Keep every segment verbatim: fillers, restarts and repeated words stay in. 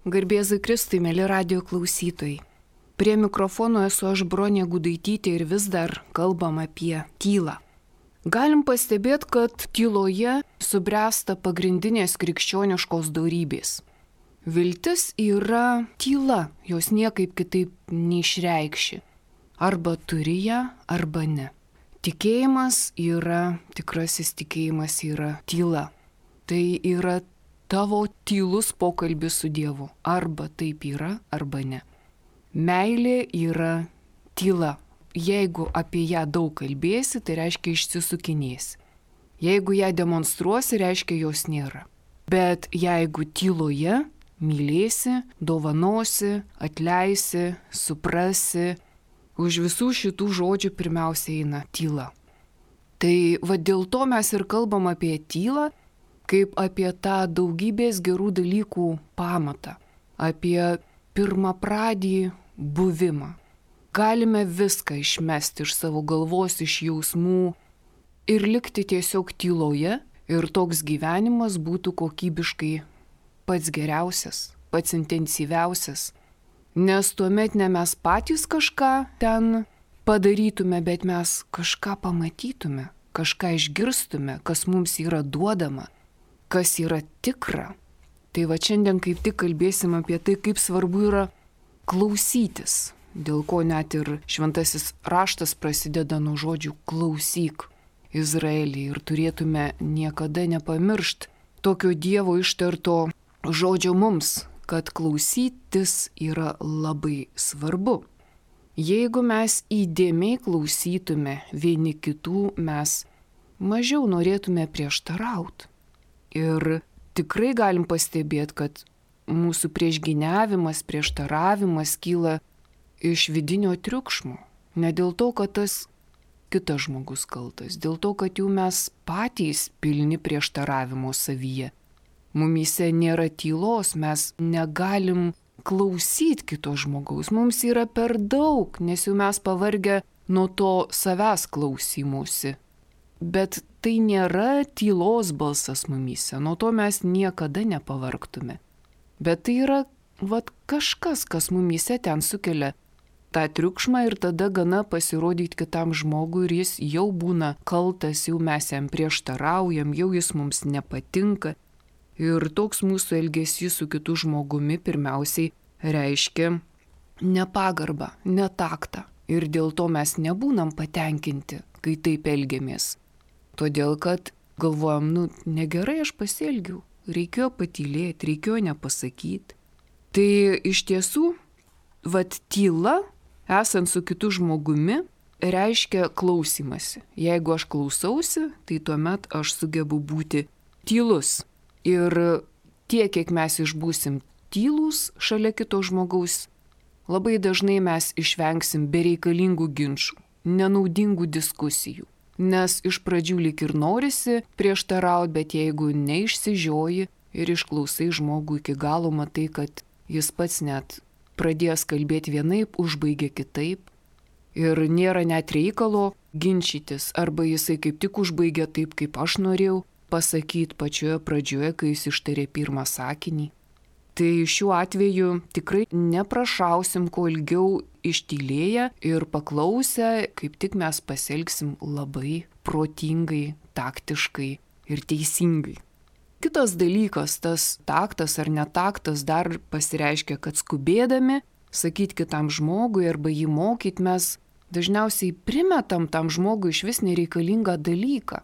Garbėzui Kristui, mėly radijo klausytojai. Prie mikrofono esu aš Bronė Gudaitytė ir vis dar kalbam apie tylą. Galim pastebėti, kad tyloje subręsta pagrindinės krikščioniškos dorybės. Viltis yra tyla, jos niekaip kitaip neišreikši. Arba turi ją, arba ne. Tikėjimas yra, tikrasis tikėjimas yra tyla. Tai yra tavo tylus pokalbis su Dievu. Arba taip yra, arba ne. Meilė yra tyla. Jeigu apie ją daug kalbėsi, tai reiškia išsisukinėsi. Jeigu ją demonstruosi, reiškia jos nėra. Bet jeigu tyloje mylėsi, dovanosi, atleisi, suprasi, už visų šitų žodžių pirmiausia eina tyla. Tai va dėl to mes ir kalbam apie tylą, kaip apie tą daugybės gerų dalykų pamatą, apie pirmapradį buvimą. Galime viską išmesti iš savo galvos, iš jausmų ir likti tiesiog tyloje ir toks gyvenimas būtų kokybiškai pats geriausias, pats intensyviausias. Nes tuomet ne mes patys kažką ten padarytume, bet mes kažką pamatytume, kažką išgirstume, kas mums yra duodama, kas yra tikra. Tai va šiandien kaip tik kalbėsim apie tai, kaip svarbu yra klausytis, dėl ko net ir šventasis raštas prasideda nuo žodžių klausyk Izraelį ir turėtume niekada nepamiršti tokio Dievo ištarto žodžio mums, kad klausytis yra labai svarbu. Jeigu mes įdėmiai klausytume vieni kitų, mes mažiau norėtume prieštarauti. Ir tikrai galim pastebėti, kad mūsų priešgyniavimas, prieštaravimas kyla iš vidinio triukšmo. Ne dėl to, kad tas kitas žmogus kaltas, dėl to, kad jau mes patys pilni prieštaravimo savyje. Mumyse nėra tylos, mes negalim klausyti kito žmogaus. Mums yra per daug, nes jau mes pavargę nuo to savęs klausymusi. Bet tai nėra tylos balsas mumyse, nuo to mes niekada nepavargtume. Bet tai yra vat, kažkas, kas mumyse ten sukelia tą triukšmą ir tada gana pasirodyti kitam žmogui ir jis jau būna kaltas, jau mes jam prieštaraujam, jau jis mums nepatinka. Ir toks mūsų elgesys su kitu žmogumi pirmiausiai reiškia nepagarbą, netaktą. Ir dėl to mes nebūnam patenkinti, kai taip elgiamės. Todėl, kad galvojam, nu, negerai aš pasielgiau, reikėjo patylėti, reikėjo nepasakyti. Tai iš tiesų, vat tyla, esant su kitu žmogumi, reiškia klausimasi. Jeigu aš klausausi, tai tuomet aš sugebu būti tylus. Ir tiek, kiek mes išbūsim tylūs šalia kito žmogaus, labai dažnai mes išvengsim bereikalingų ginčų, nenaudingų diskusijų. Nes iš pradžių lyg ir norisi prieštarauti, bet jeigu neišsižioji ir išklausai žmogų iki galo, matai, kad jis pats net pradės kalbėti vienaip, užbaigia kitaip. Ir nėra net reikalo ginčytis, arba jisai kaip tik užbaigia taip, kaip aš norėjau pasakyti pačioje pradžioje, kai jis ištarė pirmą sakinį. Tai šiuo atveju tikrai neprašausim kuo ilgiau ištylėję ir paklausę, kaip tik mes pasielgsim labai protingai, taktiškai ir teisingai. Kitas dalykas, tas taktas ar netaktas dar pasireiškia, kad skubėdami sakyti kitam žmogui arba jį mokyti, mes dažniausiai primetam tam žmogui iš vis nereikalingą dalyką.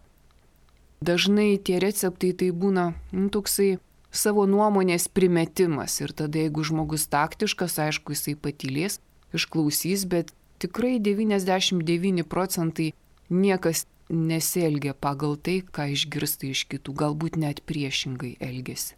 Dažnai tie receptai tai būna nu, toksai savo nuomonės primetimas ir tada jeigu žmogus taktiškas, aišku, jisai patylės, išklausys, bet tikrai devyniasdešimt devyni procentai niekas nesielgia pagal tai, ką išgirsta iš kitų, galbūt net priešingai elgiasi.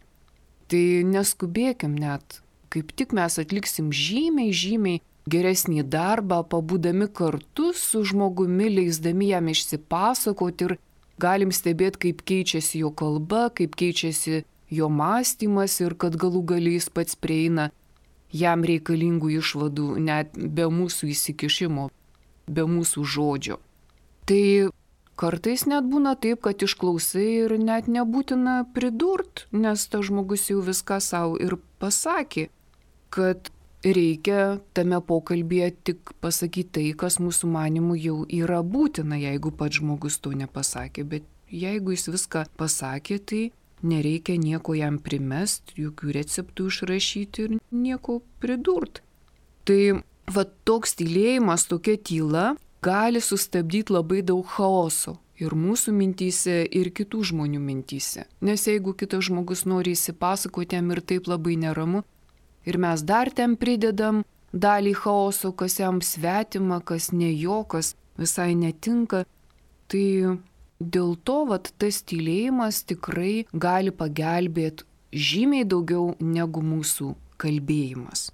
Tai neskubėkim net, kaip tik mes atliksim žymiai, žymiai geresnį darbą, pabūdami kartu su žmogumi, leisdami jam išsipasakoti ir galim stebėti, kaip keičiasi jo kalba, kaip keičiasi jo mąstymas ir kad galų galiais pats prieina jam reikalingų išvadų net be mūsų įsikišimo, be mūsų žodžio. Tai kartais net būna taip, kad išklausai ir net nebūtina pridurt, nes tas žmogus jau viską savo ir pasakė, kad reikia tame pokalbėje tik pasakyti tai, kas mūsų manimų jau yra būtina, jeigu pats žmogus to nepasakė. Bet jeigu jis viską pasakė, tai nereikia nieko jam primest, jokių receptų išrašyti ir nieko pridurt. Tai va toks tylėjimas, tokia tyla gali sustabdyti labai daug chaoso ir mūsų mintyse, ir kitų žmonių mintyse. Nes jeigu kitas žmogus nori įsipasakoti jam ir taip labai neramu, ir mes dar ten pridedam dalį chaoso, kas jam svetima, kas ne jo, kas visai netinka, tai dėl to vat, tas tylėjimas tikrai gali pagelbėti žymiai daugiau negu mūsų kalbėjimas.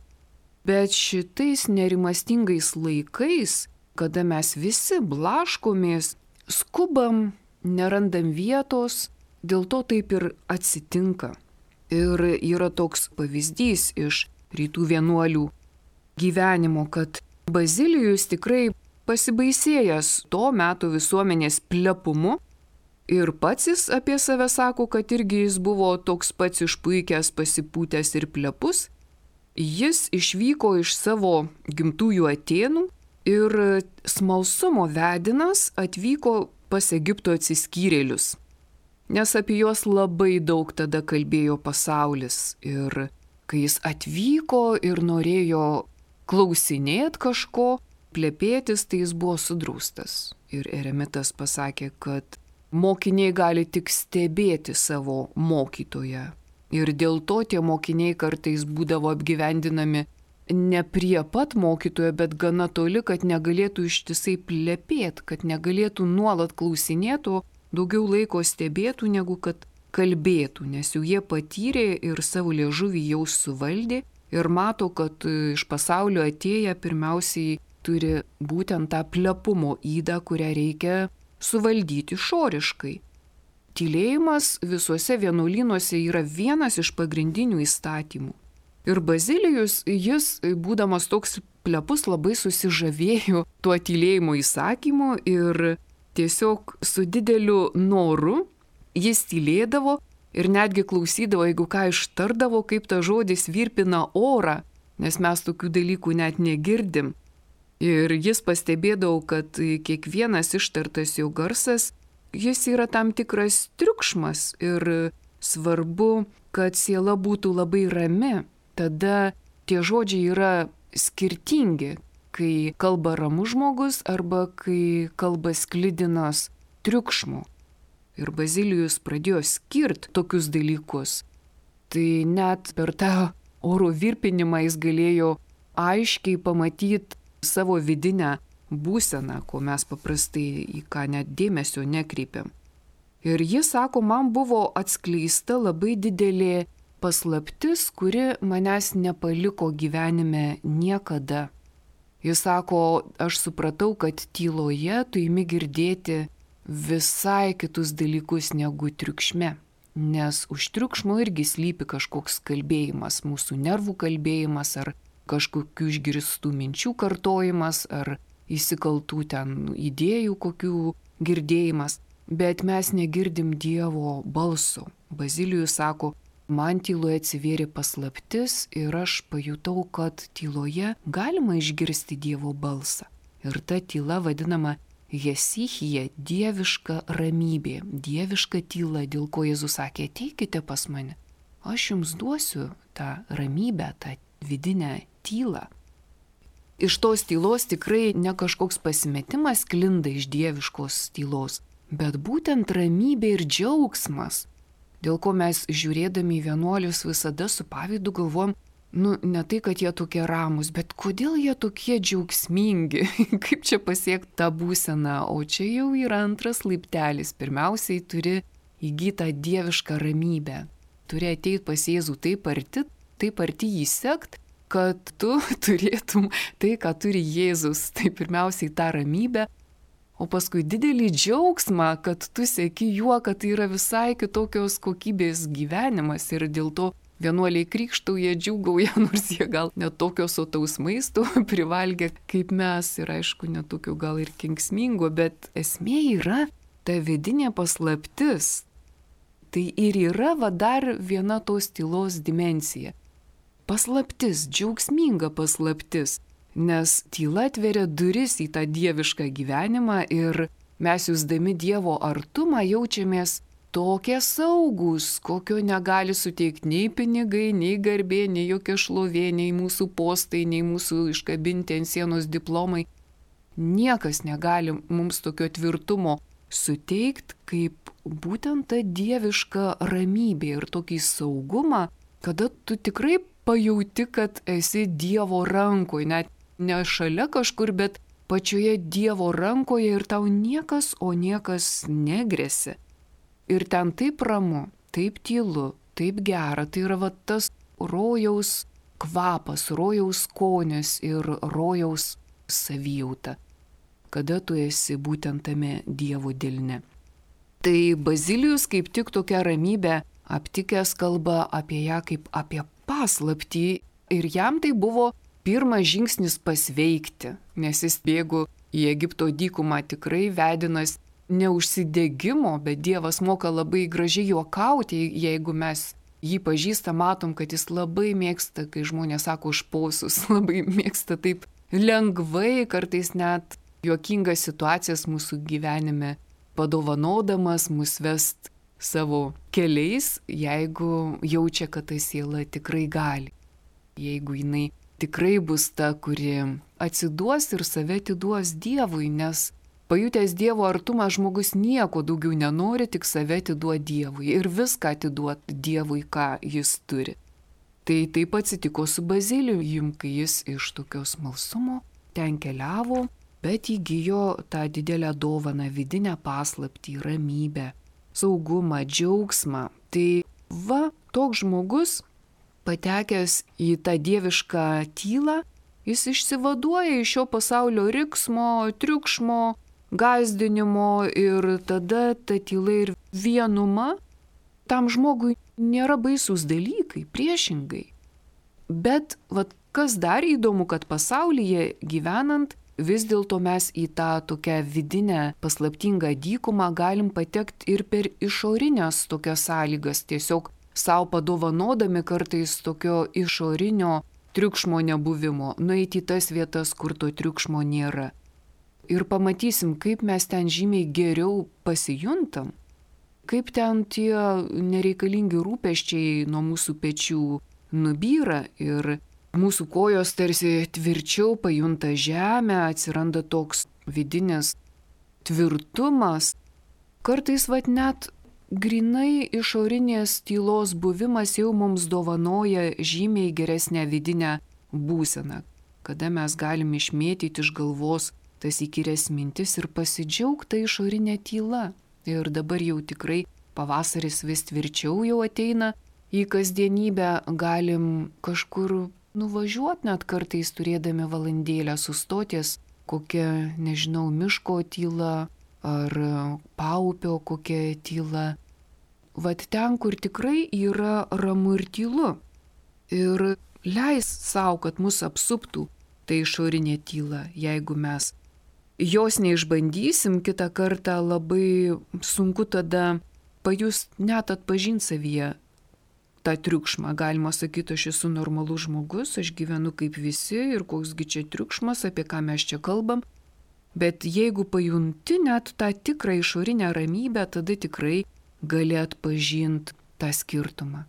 Bet šitais nerimastingais laikais, kada mes visi blaškomės, skubam, nerandam vietos, dėl to taip ir atsitinka. Ir yra toks pavyzdys iš rytų vienuolių gyvenimo, kad Bazilijus tikrai pasibaisėjęs to meto visuomenės plepumu ir pats jis apie save sako, kad irgi jis buvo toks pats išpuikęs, pasipūtęs ir plepus. Jis išvyko iš savo gimtųjų Atėnų ir smalsumo vedinas atvyko pas Egipto atsiskyrėlius, nes apie juos labai daug tada kalbėjo pasaulis. Ir kai jis atvyko ir norėjo klausinėti kažko, plepėtis, tai jis buvo sudraustas. Ir eremitas pasakė, kad mokiniai gali tik stebėti savo mokytoją. Ir dėl to tie mokiniai kartais būdavo apgyvendinami ne prie pat mokytojo, bet gana toli, kad negalėtų ištisai plepėti, kad negalėtų nuolat klausinėti, daugiau laiko stebėtų, negu kad kalbėtų, nes jau jie patyrė ir savo liežuvį jau suvaldė ir mato, kad iš pasaulio atėję pirmiausiai turi būtent tą plepumo ydą, kurią reikia suvaldyti išoriškai. Tylėjimas visuose vienuolynuose yra vienas iš pagrindinių įstatymų. Ir Bazilijus, jis, būdamas toks plepus, labai susižavėjo tuo tylėjimo įsakymu ir tiesiog su dideliu noru jis tylėdavo ir netgi klausydavo, jeigu ką ištardavo, kaip ta žodis virpina orą, nes mes tokių dalykų net negirdim. Ir jis pastebėdavo, kad kiekvienas ištartas jo garsas, jis yra tam tikras triukšmas ir svarbu, kad siela būtų labai rami. Tada tie žodžiai yra skirtingi, kai kalba ramus žmogus arba kai kalba sklidinas triukšmo. Ir Bazilijus pradėjo skirti tokius dalykus. Tai net per tą oro virpinimą jis galėjo aiškiai pamatyti savo vidinę būseną, ko mes paprastai į ką net dėmesio nekreipiam. Ir jis sako, man buvo atskleista labai didelė paslaptis, kuri manęs nepaliko gyvenime niekada. Jis sako, aš supratau, kad tyloje tu imi girdėti visai kitus dalykus negu triukšme, nes už triukšmo irgi slypi kažkoks kalbėjimas, mūsų nervų kalbėjimas ar kažkokių išgirstų minčių kartojimas ar įsikaltų ten idėjų kokių girdėjimas, bet mes negirdim Dievo balso. Bazilijus sako, man tyloje atsivėrė paslaptis ir aš pajutau, kad tyloje galima išgirsti Dievo balsą. Ir ta tyla vadinama hesichija, dieviška ramybė, dieviška tyla, dėl ko Jėzus sakė, ateikite pas mane. Aš jums duosiu tą ramybę, tą vidinę tylą. Iš tos tylos tikrai ne kažkoks pasimetimas sklinda iš dieviškos tylos, bet būtent ramybė ir džiaugsmas, dėl ko mes žiūrėdami į vienuolius visada su pavydu galvom, nu ne tai, kad jie tokie ramus, bet kodėl jie tokie džiaugsmingi, kaip čia pasiekti tą būseną, o čia jau yra antras laiptelis, pirmiausiai turi įgyti tą dievišką ramybę, turi ateiti pas Jėzų taip arti, taip arti jį sekt, kad tu turėtum tai, ką turi Jėzus, tai pirmiausiai tą ramybę, o paskui didelį džiaugsmą, kad tu seki juo, kad tai yra visai kitokios kokybės gyvenimas ir dėl to vienuoliai krikštauja, džiūgauja, nors jie gal netokio sotaus maisto privalgė kaip mes ir aišku netokio gal ir kenksmingo, bet esmė yra ta vidinė paslaptis, tai ir yra va dar viena tos tylos dimensija. Paslaptis, džiaugsminga paslaptis, nes tyla atveria duris į tą dievišką gyvenimą ir mes jusdami Dievo artumą jaučiamės tokie saugus, kokio negali suteikti nei pinigai, nei garbė, nei jokia šlovė, nei mūsų postai, nei mūsų iškabinti ant sienos diplomai. Niekas negali mums tokio tvirtumo suteikti, kaip būtent ta dieviška ramybė ir tokį saugumą, kada tu tikrai pajauti, kad esi Dievo rankoje, net ne šalia kažkur, bet pačioje Dievo rankoje ir tau niekas, o niekas negresia. Ir ten taip ramu, taip tylu, taip gera, tai yra va tas rojaus kvapas, rojaus skonis ir rojaus savijauta, kada tu esi būtent tame Dievo delne. Tai Bazilijus kaip tik tokia ramybė aptikęs kalba apie ją kaip apie paslaptį ir jam tai buvo pirmas žingsnis pasveikti, nes jis bėgo į Egipto dykumą tikrai vedinas neužsidegimo, bet Dievas moka labai gražiai juokauti, jeigu mes jį pažįstam, matom, kad jis labai mėgsta, kai žmonės sako užposus, labai mėgsta taip lengvai, kartais net juokingas situacijas mūsų gyvenime padovanodamas mus vest savo keliais, jeigu jaučia, kad ta siela tikrai gali. Jeigu jinai tikrai bus ta, kuri atsiduos ir save atiduos Dievui, nes pajutęs Dievo artumą žmogus nieko daugiau nenori, tik save atiduot Dievui ir viską atiduot Dievui, ką jis turi. Tai taip atsitiko su Bazilijum, kai jis iš tokios smalsumo ten keliavo, bet įgijo tą didelę dovaną, vidinę paslaptį, ramybę, saugumą, džiaugsmą. Tai va, toks žmogus, patekęs į tą dievišką tylą, jis išsivaduoja iš šio pasaulio riksmo, triukšmo, gąsdinimo ir tada ta tyla ir vienuma tam žmogui nėra baisūs dalykai, priešingai. Bet vat, kas dar įdomu, kad pasaulyje gyvenant, vis dėlto mes į tą tokią vidinę paslaptingą dykumą galim patekti ir per išorinės tokias sąlygas, tiesiog savo padovanodami kartais tokio išorinio triukšmo nebuvimo, nueiti į tas vietas, kur to triukšmo nėra. Ir pamatysim, kaip mes ten žymiai geriau pasijuntam, kaip ten tie nereikalingi rūpesčiai nuo mūsų pečių nubyra ir mūsų kojos tarsi tvirčiau pajunta žemę, atsiranda toks vidinis tvirtumas. Kartais vat net grinai išorinės tylos buvimas jau mums dovanoja žymiai geresnę vidinę būseną, kada mes galim išmėtyti iš galvos tas įkyrias mintis ir pasidžiaugti išorinę tylą. Ir dabar jau tikrai pavasaris vis tvirčiau jau ateina į kasdienybę, galim kažkur nuvažiuoti net kartais turėdami valandėlę sustoties, kokia, nežinau, miško tyla ar paupio kokia tyla. Vat ten, kur tikrai yra ramu ir tylu. Ir leis savo, kad mus apsuptų tai išorinė tyla, jeigu mes jos neišbandysim, kitą kartą labai sunku tada pajust, net atpažinti savyje tą triukšmą. Galima sakyti, aš esu normalus žmogus, aš gyvenu kaip visi ir koksgi čia triukšmas, apie ką mes čia kalbam. Bet jeigu pajunti net tą tikrą išorinę ramybę, tada tikrai gali atpažinti tą skirtumą.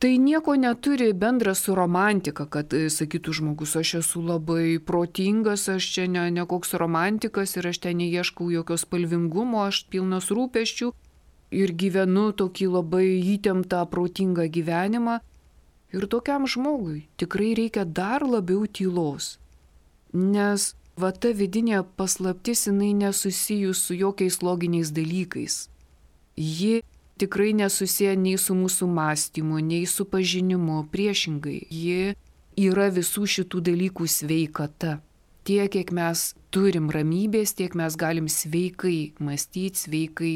Tai nieko neturi bendra su romantika, kad sakytų žmogus, aš esu labai protingas, aš čia ne, ne koks romantikas ir aš ten neieškau jokios spalvingumo, aš pilnas rūpesčių ir gyvenu tokį labai įtemptą, protingą gyvenimą. Ir tokiam žmogui tikrai reikia dar labiau tylos, nes va ta vidinė paslaptis, jinai nesusijus su jokiais loginiais dalykais. Ji tikrai nesusiję nei su mūsų mąstymu, nei su pažinimu, priešingai. Ji yra visų šitų dalykų sveikata. Tiek, kiek mes turim ramybės, tiek mes galim sveikai mąstyti, sveikai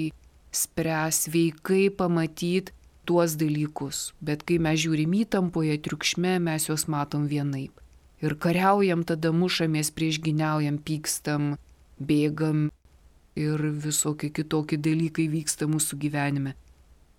spręsti, sveikai pamatyti tuos dalykus. Bet kai mes žiūrim įtampoje, triukšme, mes juos matom vienaip. Ir kariaujam, tada mušamės, priešginiaujam, pykstam, bėgam. ir visokie kitokie dalykai vyksta mūsų gyvenime.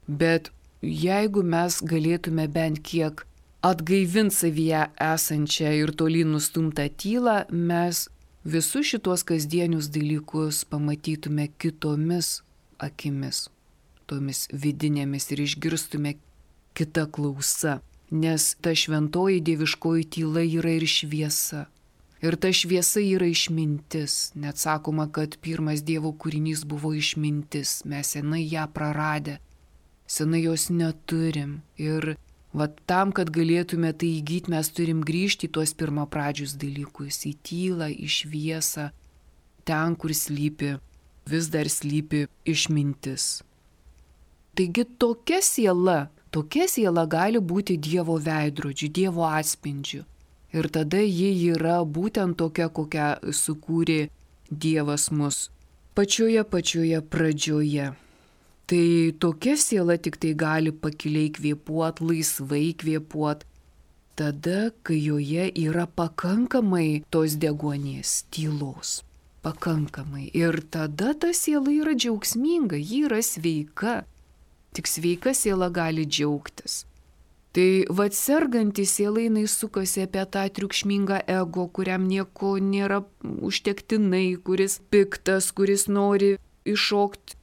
Bet jeigu mes galėtume bent kiek atgaivinti savyje esančią ir tolyn nustumtą tylą, mes visus šitos kasdienius dalykus pamatytume kitomis akimis, tomis vidinėmis ir išgirstume kitą klausą. Nes ta šventoji dieviškoji tyla yra ir šviesa. Ir ta šviesa yra išmintis. Net sakoma, kad pirmas Dievo kūrinys buvo išmintis. Mes senai ją praradę. Senai jos neturim. Ir va tam, kad galėtume tai įgyti, mes turim grįžti į tuos pirmapradžius dalykus. Į tylą, į šviesą. Ten, kur slypi, vis dar slypi išmintis. Taigi tokia siela, tokia siela gali būti Dievo veidrodžiu, Dievo atspindžiu. Ir tada ji yra būtent tokia, kokią sukūrė Dievas mus pačioje pačioje pradžioje. Tai tokia siela tik tai gali pakiliai kvėpuot, laisvai kvėpuot, tada, kai joje yra pakankamai tos deguonies, tylos. Pakankamai. Ir tada ta siela yra džiaugsminga, ji yra sveika. Tik sveika siela gali džiaugtis. Tai vad serganti siela jinai sukasi apie tą triukšmingą ego, kuriam nieko nėra užtektinai, kuris piktas, kuris nori iššokti,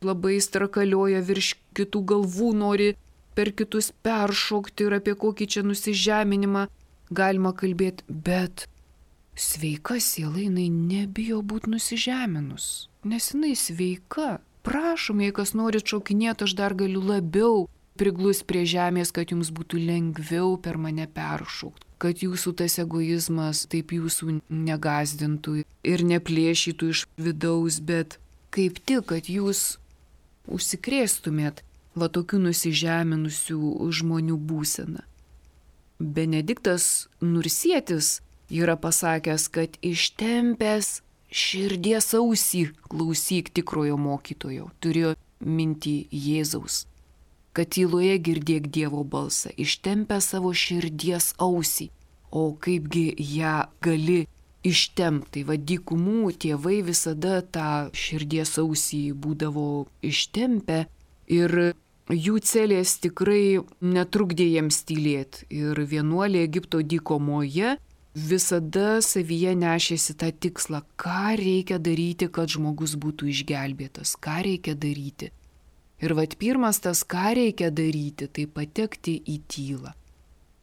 labai strakalioja virš kitų galvų, nori per kitus peršokti ir apie kokį čia nusižeminimą galima kalbėti. Bet sveika siela jinai nebijo būti nusižeminus, nes jinai sveika. Prašom, jei kas nori šokinėti, aš dar galiu labiau priglus prie žemės, kad jums būtų lengviau per mane peršokti, kad jūsų tas egoizmas taip jūsų negazdintų ir neplėšytų iš vidaus, bet kaip tik, kad jūs užsikrėstumėt va tokių nusižeminusių žmonių būseną. Benediktas Nursietis yra pasakęs, kad ištempęs širdies ausį klausyk tikrojo mokytojo, turėjo mintį Jėzaus, kad tyloje girdėk Dievo balsą, ištempę savo širdies ausį, o kaipgi ją gali ištempti. Va dykumų tėvai visada tą širdies ausį būdavo ištempę ir jų celės tikrai netrukdė jiems tylėti. Ir vienuolė Egipto dykumoje visada savyje nešėsi tą tikslą, ką reikia daryti, kad žmogus būtų išgelbėtas, ką reikia daryti. Ir vat pirmas tas, ką reikia daryti, tai patekti į tylą.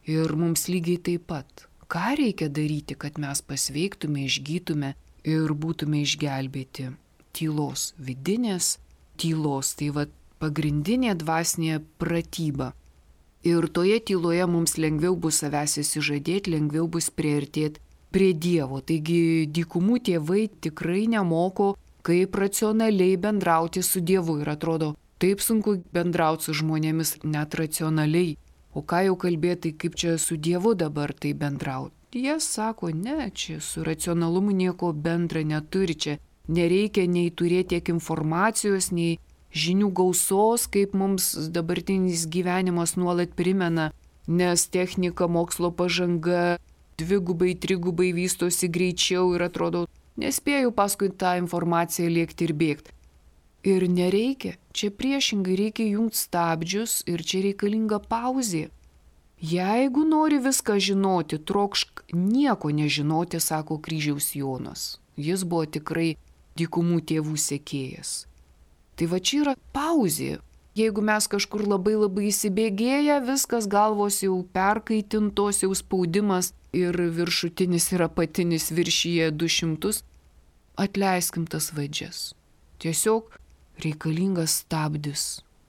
Ir mums lygiai taip pat, ką reikia daryti, kad mes pasveiktume, išgytume ir būtume išgelbėti. Tylos, vidinės tylos, tai vat pagrindinė dvasinė pratyba. Ir toje tyloje mums lengviau bus savęs įsižadėti, lengviau bus priartėti prie Dievo. Taigi dykumų tėvai tikrai nemoko, kaip racionaliai bendrauti su Dievu. Ir atrodo, taip sunku bendrauti su žmonėmis net racionaliai. O ką jau kalbėti, kaip čia su Dievu dabar tai bendrauti? Jie sako, ne, čia su racionalumu nieko bendra neturi, čia nereikia nei turėti tiek informacijos, nei žinių gausos, kaip mums dabartinis gyvenimas nuolat primena, nes technika, mokslo pažanga dvigubai, trigubai vystosi greičiau ir atrodo, nespėjau paskui tą informaciją lėkti ir bėgti. Ir nereikia, čia priešingai reikia jungti stabdžius ir čia reikalinga pauzė. Jeigu nori viską žinoti, trokšk nieko nežinoti, sako Kryžiaus Jonas. Jis buvo tikrai dykumų tėvų sekėjas. Tai va čia yra pauzė. Jeigu mes kažkur labai labai įsibėgėję, viskas galvos jau perkaitintos, jau spaudimas ir viršutinis ir apatinis viršyje du šimtus, atleiskim tas vadžias. Tiesiog reikalingas stabdis,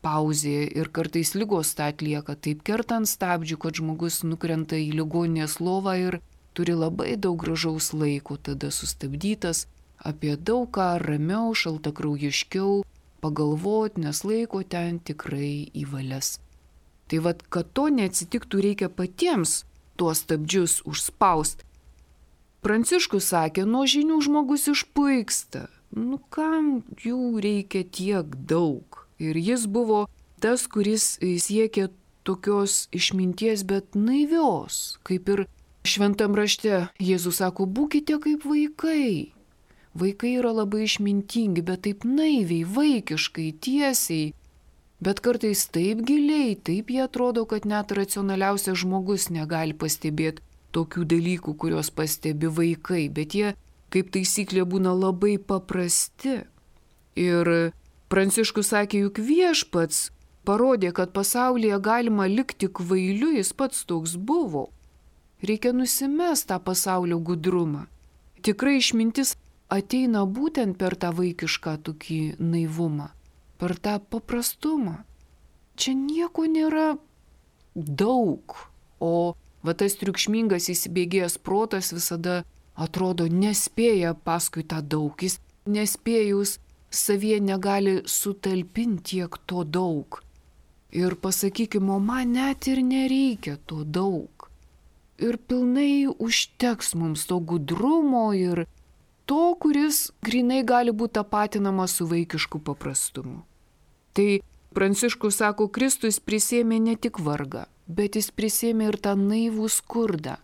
pauzė ir kartais ligos tą atlieka, taip kertant stabdžių, kad žmogus nukrenta į ligoninės lovą ir turi labai daug gražaus laiko, tada sustabdytas, apie daug ką ramiau, šaltakraujiškiau pagalvoti, nes laiko ten tikrai įvalės. Tai vad, kad to neatsitiktų, reikia patiems tuos stabdžius užspausti. Pranciškus sakė, nuo žinių žmogus išpuiksta. Nu kam jų reikia tiek daug? Ir jis buvo tas, kuris siekė tokios išminties, bet naivios. Kaip ir šventam rašte Jėzus sako, būkite kaip vaikai. Vaikai yra labai išmintingi, bet taip naiviai, vaikiškai, tiesiai. Bet kartais taip giliai, taip jie atrodo, kad net racionaliausias žmogus negali pastebėti tokių dalykų, kuriuos pastebi vaikai. Bet jie, kaip taisyklė, būna labai paprasti. Ir Pranciškus sakė, juk viešpats parodė, kad pasaulyje galima likti kvailiu, jis pats toks buvo. Reikia nusimest tą pasaulio gudrumą. Tikrai išmintis ateina būtent per tą vaikišką tokį naivumą, per tą paprastumą. Čia nieko nėra daug, o va tas triukšmingas įsibėgėjęs protas visada atrodo nespėja paskui tą daug, jis nespėjus savie negali sutalpinti tiek to daug. Ir pasakykime, o man net ir nereikia to daug. Ir pilnai užteks mums to gudrumo ir to, kuris grinai gali būti tapatinamas su vaikišku paprastumu. Tai Pranciškus sako, Kristus prisėmė ne tik vargą, bet jis prisėmė ir tą naivų skurdą,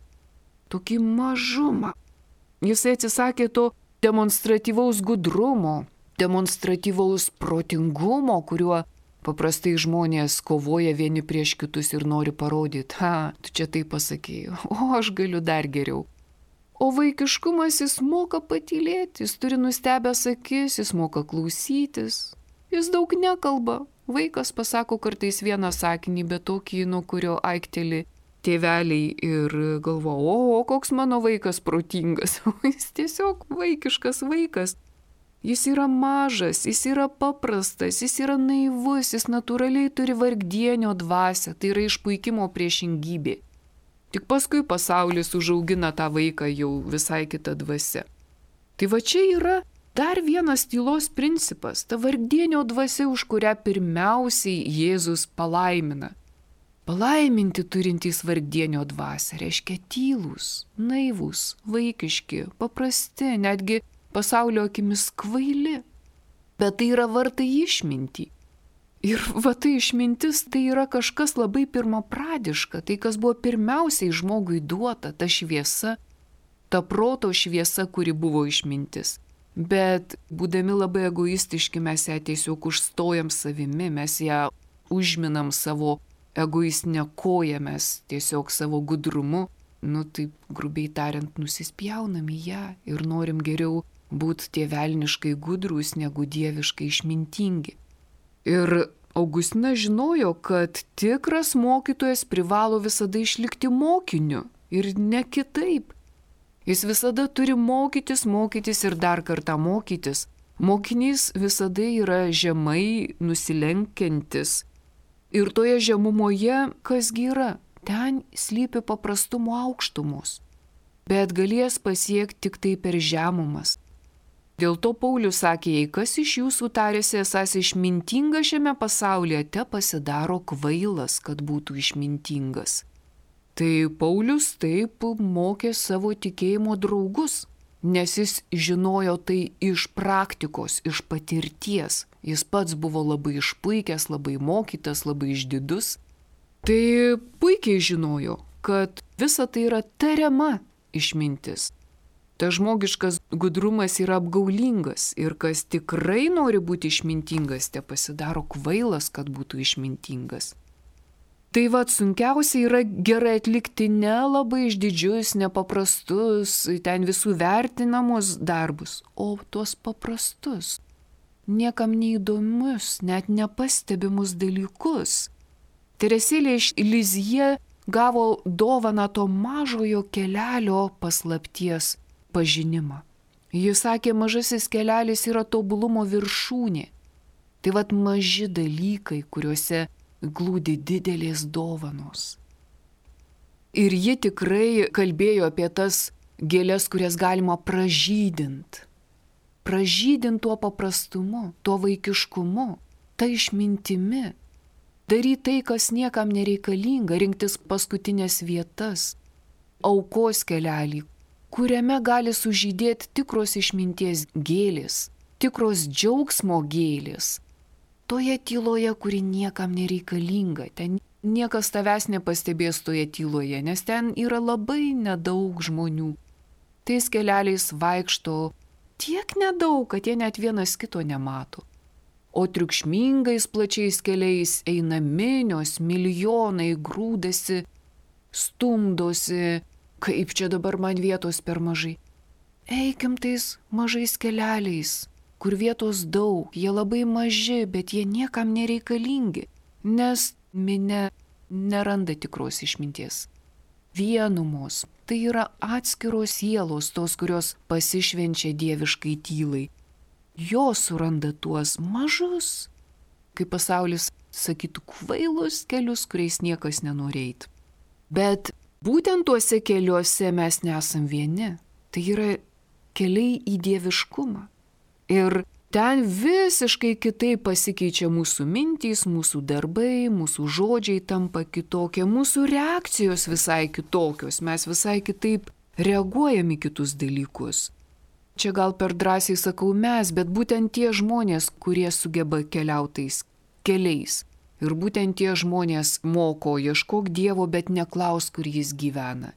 tokį mažumą. Jisai atsisakė to demonstratyvaus gudrumo, demonstratyvaus protingumo, kuriuo paprastai žmonės kovoja vieni prieš kitus ir nori parodyti, ha, tu čia tai pasakėjai, o aš galiu dar geriau. O vaikiškumas jis moka patylėti, jis turi nustebęs akis, jis moka klausytis, jis daug nekalba. Vaikas pasako kartais vieną sakinį, bet tokį, nuo kurio aikteli tėveliai ir galvo, o, o koks mano vaikas protingas, o jis tiesiog vaikiškas vaikas. Jis yra mažas, jis yra paprastas, jis yra naivus, jis natūraliai turi vargdienio dvasią, tai yra išpuikimo priešingybė. Tik paskui pasaulis užaugina tą vaiką jau visai kitą dvasią. Tai va čia yra dar vienas tylos principas, ta vargdienio dvasia, už kurią pirmiausiai Jėzus palaimina. Palaiminti turintys vargdienio dvasią reiškia tylūs, naivūs, vaikiški, paprasti, netgi pasaulio akimis kvaili, bet tai yra vartai išmintį. Ir va tai išmintis tai yra kažkas labai pirmapradiška, tai kas buvo pirmiausiai žmogui duota, ta šviesa, ta proto šviesa, kuri buvo išmintis. Bet būdami labai egoistiški mes ją tiesiog užstojam savimi, mes ją užminam savo egoistinę koją, mes tiesiog savo gudrumu, nu taip grubiai tariant, nusispjaunam į ją ir norim geriau būti tie velniškai gudrūs negu dieviškai išmintingi. Ir Augustinas žinojo, kad tikras mokytojas privalo visada išlikti mokiniu ir ne kitaip. Jis visada turi mokytis, mokytis ir dar kartą mokytis. Mokinys visada yra žemai nusilenkiantis. Ir toje žemumoje kasgi yra? Ten slypi paprastumo aukštumos. Bet galės pasiekti tik tai per žemumas. Dėl to Paulius sakė, jei kas iš jūsų tarėsi esas išmintingas šiame pasaulyje, te pasidaro kvailas, kad būtų išmintingas. Tai Paulius taip mokė savo tikėjimo draugus, nes jis žinojo tai iš praktikos, iš patirties. Jis pats buvo labai išpuikęs, labai mokytas, labai išdidus. Tai puikiai žinojo, kad visa tai yra tariama išmintis. Ta žmogiškas gudrumas yra apgaulingas ir kas tikrai nori būti išmintingas, te pasidaro kvailas, kad būtų išmintingas. Tai va, sunkiausia yra gerai atlikti ne labai išdidžius, nepaprastus, ten visų vertinamus darbus, o tuos paprastus, niekam neįdomius, net nepastebimus dalykus. Teresėlė iš Lizjė gavo dovaną to mažojo kelelio paslapties pažinimą. Jis sakė, mažasis kelelis yra tobulumo viršūnė. Tai vat maži dalykai, kuriuose glūdi didelės dovanos. Ir ji tikrai kalbėjo apie tas gėlės, kurias galima pražydint. Pražydint tuo paprastumu, tuo vaikiškumu, ta išmintimi. Daryti tai, kas niekam nereikalinga, rinktis paskutinės vietas, aukos kelelį, kuriame gali sužydėti tikros išminties gėlės, tikros džiaugsmo gėlės. Toje tyloje, kuri niekam nereikalinga, ten niekas tavęs nepastebės toje tyloje, nes ten yra labai nedaug žmonių. Tais keleliais vaikšto tiek nedaug, kad jie net vienas kito nemato. O triukšmingais plačiais keliais eina minios, milijonai, grūdasi, stumdosi, kaip čia dabar man vietos per mažai. Eikim tais mažais kelialiais, kur vietos daug, jie labai maži, bet jie niekam nereikalingi, nes minia neranda tikros išminties. Vienumos, tai yra atskiros sielos, tos, kurios pasišvenčia dieviškai tylai. Jos suranda tuos mažus, kaip pasaulis sakytų, kvailus kelius, kuriais niekas nenori eiti. Bet būtent tuose keliuose mes nesam vieni. Tai yra keliai į dieviškumą. Ir ten visiškai kitaip pasikeičia mūsų mintys, mūsų darbai, mūsų žodžiai tampa kitokie, mūsų reakcijos visai kitokios, mes visai kitaip reaguojam į kitus dalykus. Čia gal per drąsiai sakau mes, bet būtent tie žmonės, kurie sugeba keliautais keliais. Ir būtent tie žmonės moko, ieškok Dievo, bet neklaus, kur jis gyvena.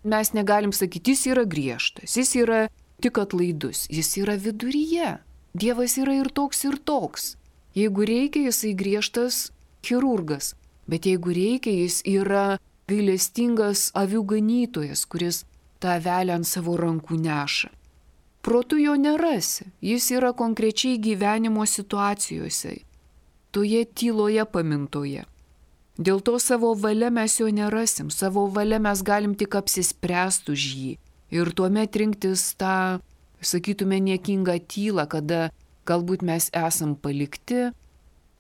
Mes negalim sakyti, jis yra griežtas, jis yra tik atlaidus, jis yra viduryje. Dievas yra ir toks, ir toks. Jeigu reikia, jisai griežtas chirurgas, bet jeigu reikia, jis yra gailestingas avių ganytojas, kuris tą avelę ant savo rankų neša. Protu jo nerasi, jis yra konkrečiai gyvenimo situacijose, toje tyloje pamintoje. Dėl to savo valia mes jo nerasim, savo valia mes galim tik apsispręsti už jį ir tuomet rinktis tą, sakytume, niekingą tylą, kada galbūt mes esam palikti,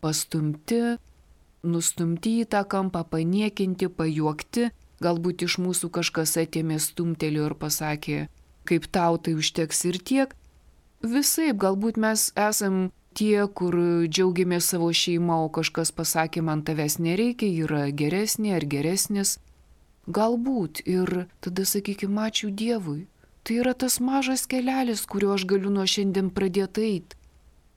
pastumti, nustumti į tą kampą, paniekinti, pajuokti, galbūt iš mūsų kažkas atėmė stumtelio ir pasakė, kaip tau tai užteks ir tiek. Visaip, galbūt mes esam tie, kur džiaugiamės savo šeimą, o kažkas pasakė, man tavęs nereikia, yra geresnė ar geresnis. Galbūt ir tada sakykime, ačiū Dievui. Tai yra tas mažas kelelis, kuriuo aš galiu nuo šiandien pradėti eiti.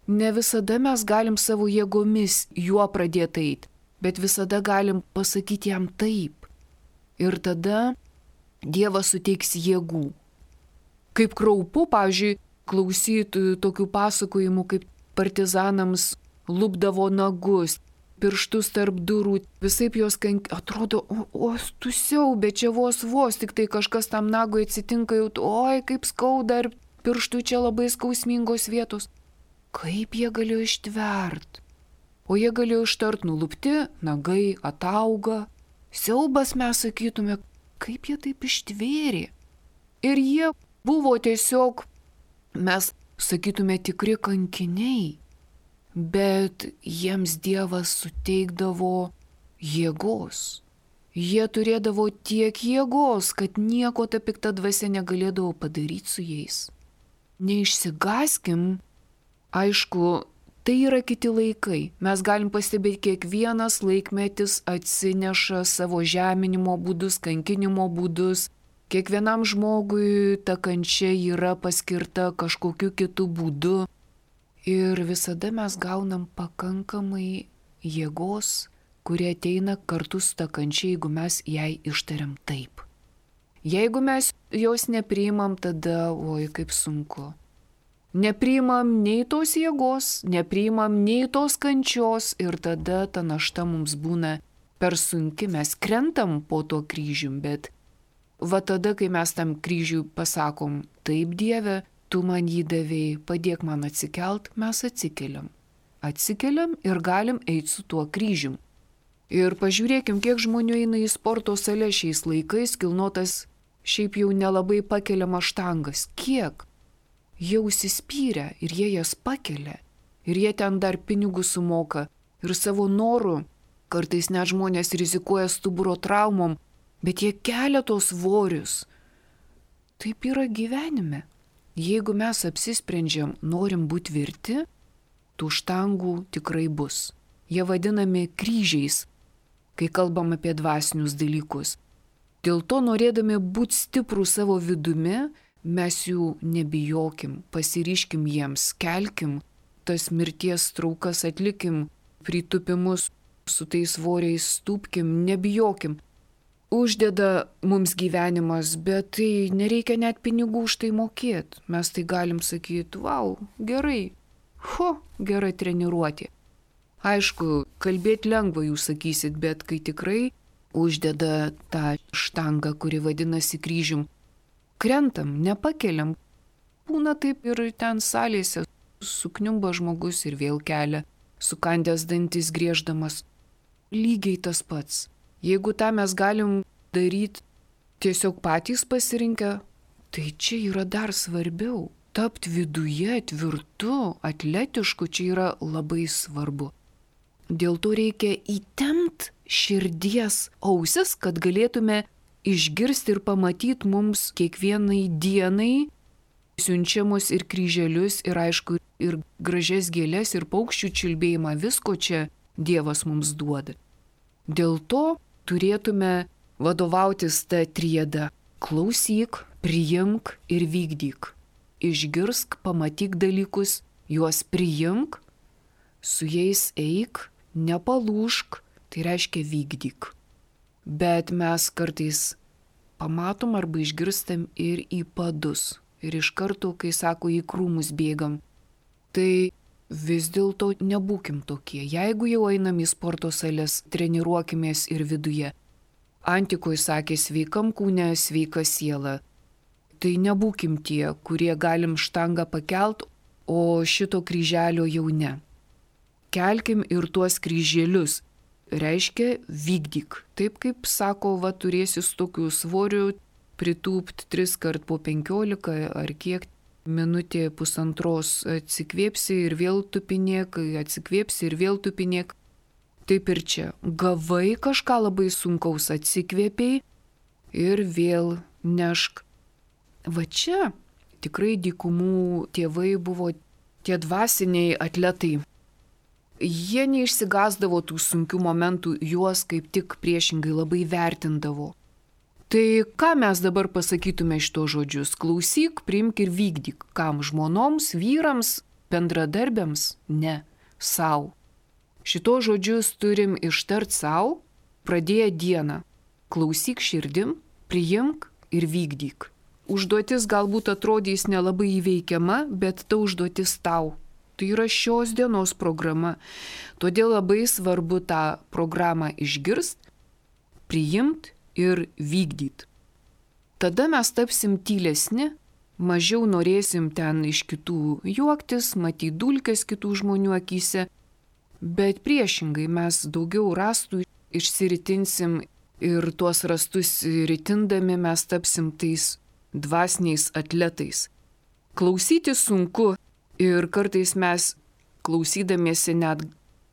Ne visada mes galim savo jėgomis juo pradėti eiti, bet visada galim pasakyti jam taip. Ir tada Dievas suteiks jėgų. Kaip kraupu, pavyzdžiui, klausyti tokių pasakojimų, kaip partizanams lupdavo nagus, pirštus tarp durų, visaip jos kank... atrodo, o, o tu siaubė, čia vos vos, tik tai kažkas tam nagui atsitinka, jau, oi, kaip skauda, ir pirštų čia labai skausmingos vietos. Kaip jie galėjo ištvert? O jie galėjo ištart, nulupti, nagai atauga. Siaubas mes sakytume, kaip jie taip ištvėrė. Ir jie buvo tiesiog, mes sakytume, tikri kankiniai, bet jiems Dievas suteikdavo jėgos. Jie turėdavo tiek jėgos, kad nieko ta pikta dvasia negalėdavo padaryti su jais. Neišsigaskim, aišku, tai yra kiti laikai. Mes galim pastebėti, kiekvienas laikmetis atsineša savo žeminimo būdus, kankinimo būdus. Kiekvienam žmogui ta kančia yra paskirta kažkokiu kitu būdu ir visada mes gaunam pakankamai jėgos, kurie ateina kartu su ta kančia, jeigu mes jai ištariam taip. Jeigu mes jos nepriimam, tada, oi, kaip sunku. Nepriimam nei tos jėgos, nepriimam nei tos kančios ir tada ta našta mums būna per sunki, mes krentam po to kryžium, bet va tada, kai mes tam kryžiui pasakom, taip Dieve, tu man jį davėjai, padėk man atsikelt, mes atsikeliam. Atsikeliam ir galim eiti su tuo kryžium. Ir pažiūrėkim, kiek žmonių eina į sporto salę šiais laikais, kilnotas šiaip jau nelabai pakeliamas štangas. Kiek? Jie užsispyrę ir jie jas pakelia. Ir jie ten dar pinigus sumoka. Ir savo norų, kartais net žmonės rizikuoja stuburo traumom, bet jie kelia tos svorius. Taip yra gyvenime. Jeigu mes apsisprendžiam, norim būti tvirti, tų štangų tikrai bus. Jie vadinami kryžiais, kai kalbam apie dvasinius dalykus. Dėl to, norėdami būti stiprų savo vidumi, mes jų nebijokim, pasiryškim jiems, kelkim, tas mirties traukas atlikim, pritupimus su tais svoriais stūpkim, nebijokim. uždeda mums gyvenimas, bet tai nereikia net pinigų už tai mokėti. Mes tai galim sakyti, wow, gerai, ho, gera treniruotė. Aišku, kalbėti lengva jūs sakysit, bet kai tikrai uždeda tą štangą, kuri vadinasi kryžium, krentam, nepakeliam. Būna taip ir ten salėse sukniumba žmogus ir vėl kelia, sukandęs dantis grieždamas. Lygiai tas pats. Jeigu tą mes galim daryti tiesiog patys pasirinkę, tai čia yra dar svarbiau. Tapti viduje tvirtu, atletišku, čia yra labai svarbu. Dėl to reikia įtempt širdies ausis, kad galėtume išgirsti ir pamatyti mums kiekvienai dienai siunčiamus ir kryželius, ir aišku, ir gražias gėlės, ir paukščių čiulbėjimą, visko čia Dievas mums duoda. Dėl to turėtume vadovautis tą triedą. Klausyk, priimk ir vykdyk. Išgirsk, pamatyk dalykus, juos priimk, su jais eik, nepalūžk, tai reiškia vykdyk. Bet mes kartais pamatom arba išgirstam ir į padus. Ir iš karto, kai sako, į krūmus bėgam, tai vis dėlto nebūkim tokie. Jeigu jau einam į sporto sales, treniruokimės ir viduje. Antikoje sakė, sveikam kūne, sveika siela. Tai nebūkim tie, kurie galim štangą pakelt, o šito kryželio jau ne. Kelkim ir tuos kryželius. Reiškia vykdyk. Taip kaip sako, va turėsi su tokiu svoriu pritūpt tris kart po penkiolika ar kiek minutė pusantros atsikvėpsi ir vėl tupinėk, atsikvėpsi ir vėl tupinėk. Taip ir čia. Gavai kažką labai sunkaus, atsikvėpiai ir vėl nešk. Va čia tikrai dykumų tėvai buvo tie dvasiniai atletai. Jie neišsigasdavo tų sunkių momentų, juos kaip tik priešingai labai vertindavo. Tai ką mes dabar pasakytume šito žodžius? Klausyk, priimk ir vykdyk. Kam? Žmonoms, vyrams, bendradarbiams? Ne, sau. Šito žodžius turim ištart sau, pradėję dieną. Klausyk širdim, priimk ir vykdyk. Užduotis galbūt atrodys nelabai įveikiama, bet ta užduotis tau. Tai yra šios dienos programa. Todėl labai svarbu tą programą išgirst, priimt ir vykdyt. Tada mes tapsim tylesni, mažiau norėsim ten iš kitų juoktis, matyti dulkes kitų žmonių akyse, bet priešingai mes daugiau rastų išsiritinsim ir tuos rastus ritindami mes tapsim tais dvasiniais atletais. Klausyti sunku ir kartais mes klausydamiesi net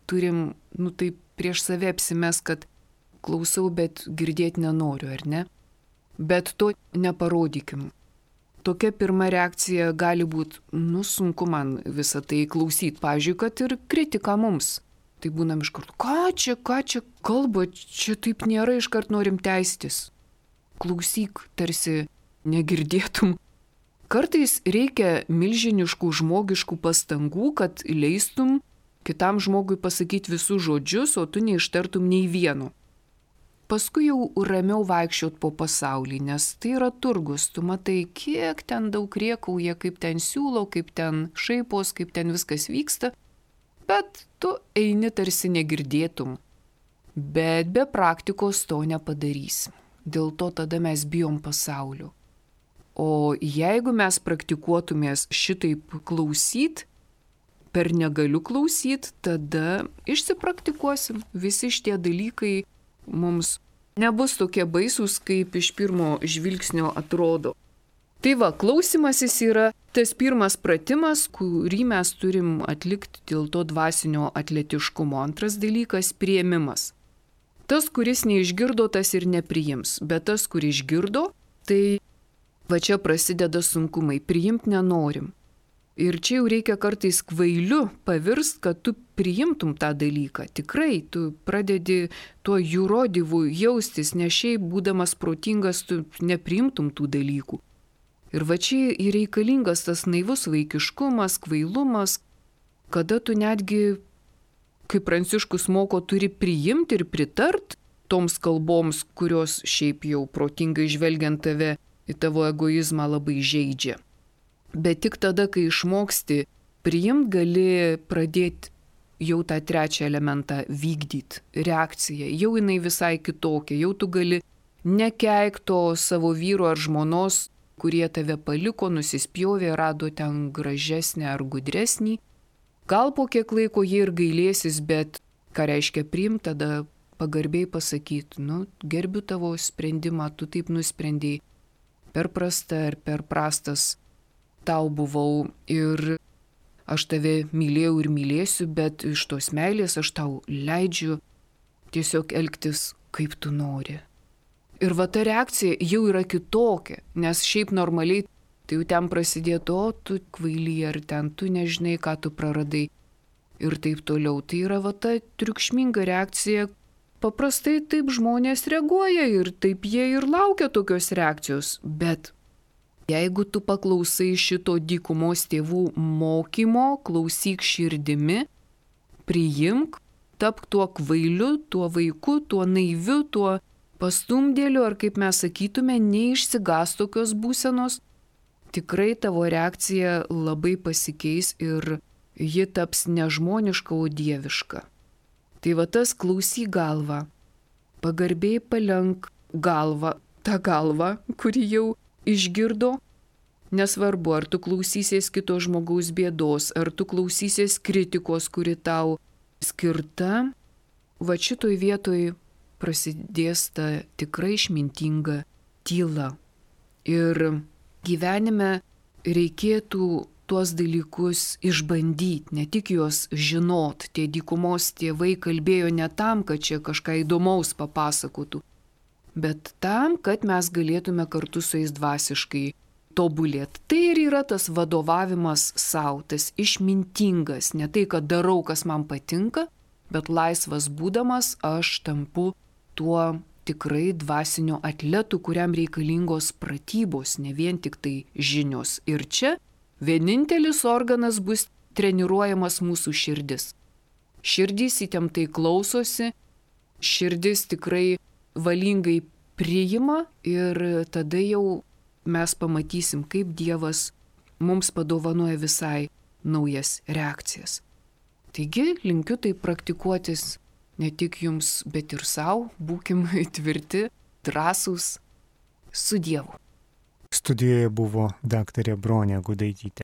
turim, nu taip prieš save apsimes, kad klausau, bet girdėti nenoriu, ar ne? Bet to neparodykim. Tokia pirma reakcija gali būti, nu sunku man visą tai klausyti. Pavyzdžiui, kad ir kritika mums. Tai būnam iš karto, ką čia, ką čia kalba, čia taip nėra, iškart norim teistis. Klausyk, tarsi negirdėtum. Kartais reikia milžiniškų žmogiškų pastangų, kad leistum kitam žmogui pasakyti visus žodžius, o tu neištartum nei vieno. Paskui jau ramiau vaikščiot po pasaulį, nes tai yra turgus. Tu matai, kiek ten daug riekauja, kaip ten siūlo, kaip ten šaipos, kaip ten viskas vyksta. Bet tu eini tarsi negirdėtum. Bet be praktikos to nepadarysim. Dėl to tada mes bijom pasaulio. O jeigu mes praktikuotumės šitaip klausyt, per negaliu klausyt, tada išsipraktikuosim. Visi šitie dalykai mums nebus tokie baisūs, kaip iš pirmo žvilgsnio atrodo. Tai va, klausimasis yra tas pirmas pratimas, kurį mes turim atlikti dėl to dvasinio atletiškumo. Antras dalykas – priėmimas. Tas, kuris neišgirdo, tas ir nepriims, bet tas, kuris išgirdo, tai va čia prasideda sunkumai, priimt nenorim. Ir čia jau reikia kartais kvailiu pavirst, kad tu priimtum tą dalyką. Tikrai, tu pradedi tuo jurodyvu jaustis, nes šiaip būdamas protingas, tu nepriimtum tų dalykų. Ir va čia ir reikalingas tas naivus vaikiškumas, kvailumas, kada tu netgi, kaip Pranciškus moko, turi priimti ir pritart toms kalboms, kurios šiaip jau protingai žvelgiant tave į tavo egoizmą labai žeidžia. Bet tik tada, kai išmoksti priimt, gali pradėti jau tą trečią elementą vykdyti, reakciją. Jau jinai visai kitokia, jau tu gali nekeikto savo vyro ar žmonos, kurie tave paliko, nusispjovė, rado ten gražesnį ar gudresnį. Gal po kiek laiko jie ir gailėsis, bet ką reiškia priimt, tada pagarbiai pasakyti, nu, gerbiu tavo sprendimą, tu taip nusprendėjai, per prasta ar per prastas tau buvau ir aš tave mylėjau ir mylėsiu, bet iš tos meilės aš tau leidžiu tiesiog elgtis, kaip tu nori. Ir va ta reakcija jau yra kitokia, nes šiaip normaliai tai jau ten prasidėtų, o tu kvaily, ar ten tu nežinai, ką tu praradai ir taip toliau. Tai yra va ta triukšminga reakcija. Paprastai taip žmonės reaguoja ir taip jie ir laukia tokios reakcijos, bet jeigu tu paklausai šito dykumos tėvų mokymo, klausyk širdimi, priimk, tapk tuo kvailiu, tuo vaiku, tuo naiviu, tuo pastumdėliu, ar kaip mes sakytume, neišsigas tokios būsenos, tikrai tavo reakcija labai pasikeis ir ji taps nežmoniška, o dieviška. Tai va tas klausyk galvą, pagarbiai palenk galvą, tą galvą, kuri jau išgirdo, nesvarbu, ar tu klausysies kito žmogaus bėdos, ar tu klausysies kritikos, kuri tau skirta, va šitoj vietoj prasidės ta tikrai išmintinga tyla. Ir gyvenime reikėtų tuos dalykus išbandyti, ne tik juos žinot. Tie dykumos tėvai kalbėjo ne tam, kad čia kažką įdomaus papasakotų, bet tam, kad mes galėtume kartu su jais dvasiškai tobulėti. Tai ir yra tas vadovavimas savo, tas išmintingas, ne tai, kad darau, kas man patinka, bet laisvas būdamas aš tampu tuo tikrai dvasiniu atletu, kuriam reikalingos pratybos, ne vien tik tai žinios. Ir čia vienintelis organas bus treniruojamas mūsų širdis. Širdys įtemptai klausosi, širdis tikrai valingai priima ir tada jau mes pamatysim, kaip Dievas mums padovanoja visai naujas reakcijas. Taigi linkiu tai praktikuotis ne tik jums, bet ir savo, būkim tvirti, drąsūs, su Dievu. Studijoje buvo daktarė Bronė Gudaitytė.